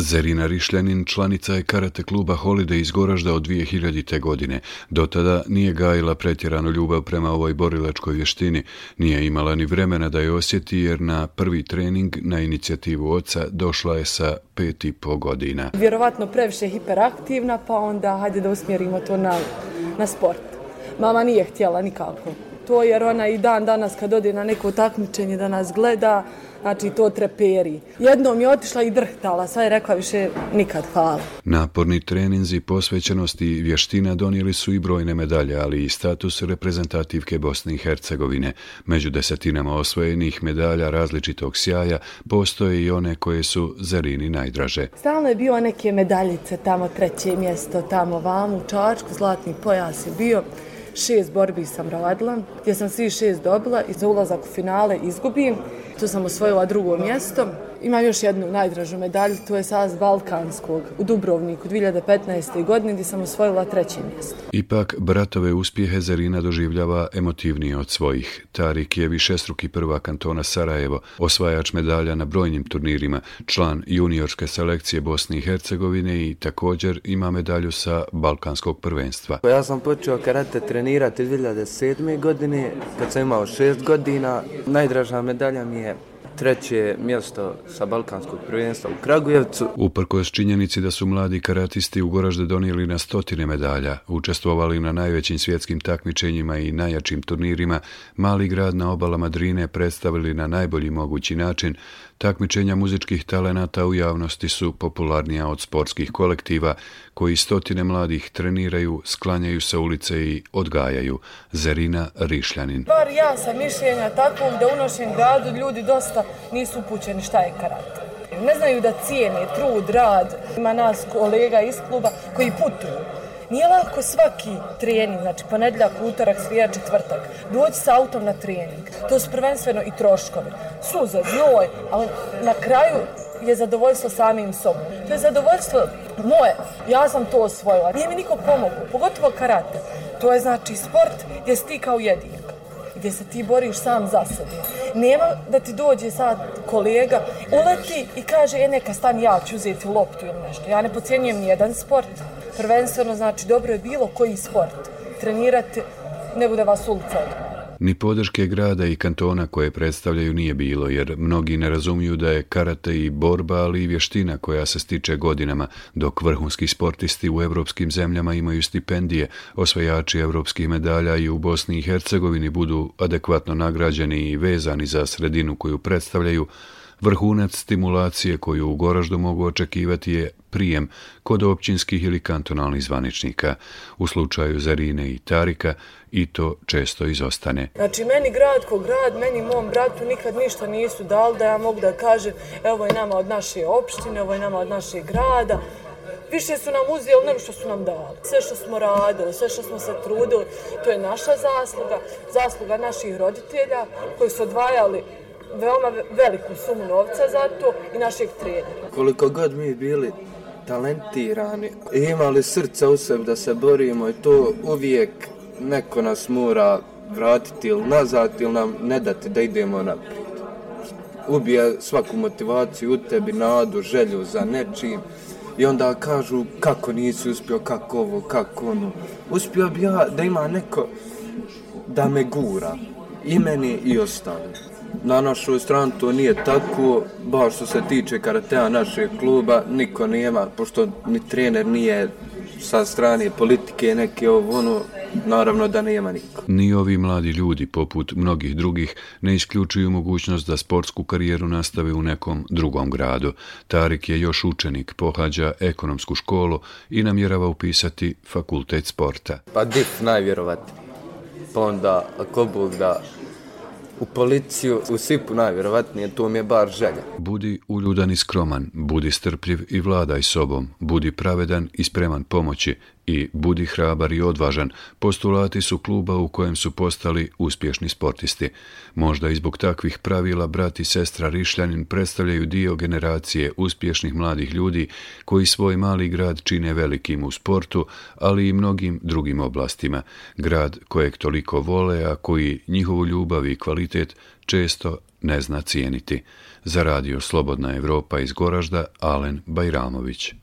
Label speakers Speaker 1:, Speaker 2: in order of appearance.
Speaker 1: Zerina Rišljanin članica je karate kluba Holiday iz Goražda od 2000. godine. Do tada nije gajila pretjeranu ljubav prema ovoj borilačkoj vještini. Nije imala ni vremena da je osjeti jer na prvi trening na inicijativu oca došla je sa 5,5 godina.
Speaker 2: Vjerovatno previše hiperaktivna, pa onda hajde da usmjerimo to na sport. Mama nije htjela nikako to jer ona i dan danas kad ode na neko takmičenje da nas gleda, znači to treperi. Jednom je otišla i drhtala, sad je rekla više nikad hvala.
Speaker 1: Naporni treninzi, posvećenost i vještina donijeli su i brojne medalje, ali i status reprezentativke Bosne i Hercegovine. Među desetinama osvojenih medalja različitog sjaja postoje i one koje su Zerini najdraže.
Speaker 2: Stalno je bio neke medaljice, tamo 3. mjesto, tamo vamo u Čačku, zlatni pojas je bio. 6 borbi sam radila, gdje sam svi 6 dobila i za ulazak u finale izgubim. Tu sam osvojila 2. mjesto. Imam još jednu najdražu medalju, to je saz Balkanskog u Dubrovniku 2015. godine gdje sam osvojila 3. mjesto.
Speaker 1: Ipak, bratove uspjehe Zerina doživljava emotivnije od svojih. Tarik je višestruki prvak kantona Sarajevo, osvajač medalja na brojnim turnirima, član juniorske selekcije Bosne i Hercegovine i također ima medalju sa Balkanskog prvenstva.
Speaker 3: Ja sam počeo karate trenirati 2007. godine, kad sam imao 6 godina. Najdraža medalja mi je 3. mjesto sa Balkanskog prvenstva u Kragujevcu.
Speaker 1: Uprkos činjenici da su mladi karatisti u Goražde donijeli na 100 medalja, učestvovali na najvećim svjetskim takmičenjima i najjačim turnirima, mali grad na obalama Drine predstavili na najbolji mogući način. Takmičenja muzičkih talenata u javnosti su popularnija od sportskih kolektiva koji 100 mladih treniraju, sklanjaju sa ulice i odgajaju. Zerina Rišljanin.
Speaker 2: Bar ja sam mišljenja takvog da u našem gradu ljudi dosta nisu upućeni šta je karate. Ne znaju da cijene trud, rad. Ima nas kolega iz kluba koji putuju. Nije lako svaki trening, znači ponedjeljak, utorak, srijeda, četvrtak, doći s autom na trening. To su prvenstveno i troškovi. Suza, znoj, ali na kraju je zadovoljstvo samim sobom. To je zadovoljstvo moje. Ja sam to osvojila. Nije mi niko pomogao, pogotovo karate. To je znači sport gdje si ti kao jedinak, gdje se ti boriš sam za sebe. Nema da ti dođe sad kolega, uleti i kaže neka stani, ja ću uzeti loptu ili nešto. Ja ne podcjenjujem nijedan sport. Prvenstveno znači dobro je bilo koji sport. Trenirati ne bude vas ulica odmah.
Speaker 1: Ni podrške grada i kantona koje predstavljaju nije bilo, jer mnogi ne razumiju da je karate i borba, ali i vještina koja se stiče godinama, dok vrhunski sportisti u evropskim zemljama imaju stipendije, osvajači evropskih medalja i u Bosni i Hercegovini budu adekvatno nagrađeni i vezani za sredinu koju predstavljaju. Vrhunac stimulacije koju u Goraždu mogu očekivati je prijem kod općinskih ili kantonalnih zvaničnika. U slučaju Zerine i Tarika i to često izostane.
Speaker 2: Znači meni grad ko grad, meni mom bratu nikad ništa nisu dali da ja mogu da kažem evo je nama od naše opštine, ovo je nama od našeg grada. Više su nam uzeli nego što su nam dali. Sve što smo radili, sve što smo se trudili, to je naša zasluga, zasluga naših roditelja koji su odvajali veoma veliku sumu novca za to i našeg trenera.
Speaker 3: Koliko god mi bili talentirani i imali srca u sebi da se borimo i to uvijek neko nas mora vratiti ili nazad ili nam ne dati da idemo naprijed. Ubija svaku motivaciju u tebi, nadu, želju za nečim i onda kažu kako nisi uspio, kako ovo, kako ono. Uspio bi ja da ima neko da me gura, i meni i ostali. Na našoj strani to nije tako, baš što se tiče karatea našeg kluba, niko nema, pošto ni trener nije sa strane politike neke ono, naravno da nema niko.
Speaker 1: Ni ovi mladi ljudi, poput mnogih drugih, ne isključuju mogućnost da sportsku karijeru nastave u nekom drugom gradu. Tarik je još učenik, pohađa ekonomsku školu i namjerava upisati fakultet sporta.
Speaker 3: Pa DIF najvjerovatniji, pa onda ako Bog da u policiju, u SIP-u najvjerovatnije, to mi je bar želja.
Speaker 1: Budi uljudan i skroman, budi strpljiv i vladaj sobom, budi pravedan i spreman pomoći i budi hrabar i odvažan, postulati su kluba u kojem su postali uspješni sportisti. Možda i zbog takvih pravila brat i sestra Rišljanin predstavljaju dio generacije uspješnih mladih ljudi koji svoj mali grad čine velikim u sportu, ali i mnogim drugim oblastima. Grad kojeg toliko vole, a koji njihovu ljubav i kvalitet često ne zna cijeniti. Za radio Slobodna Evropa iz Goražda, Alen Bajramović.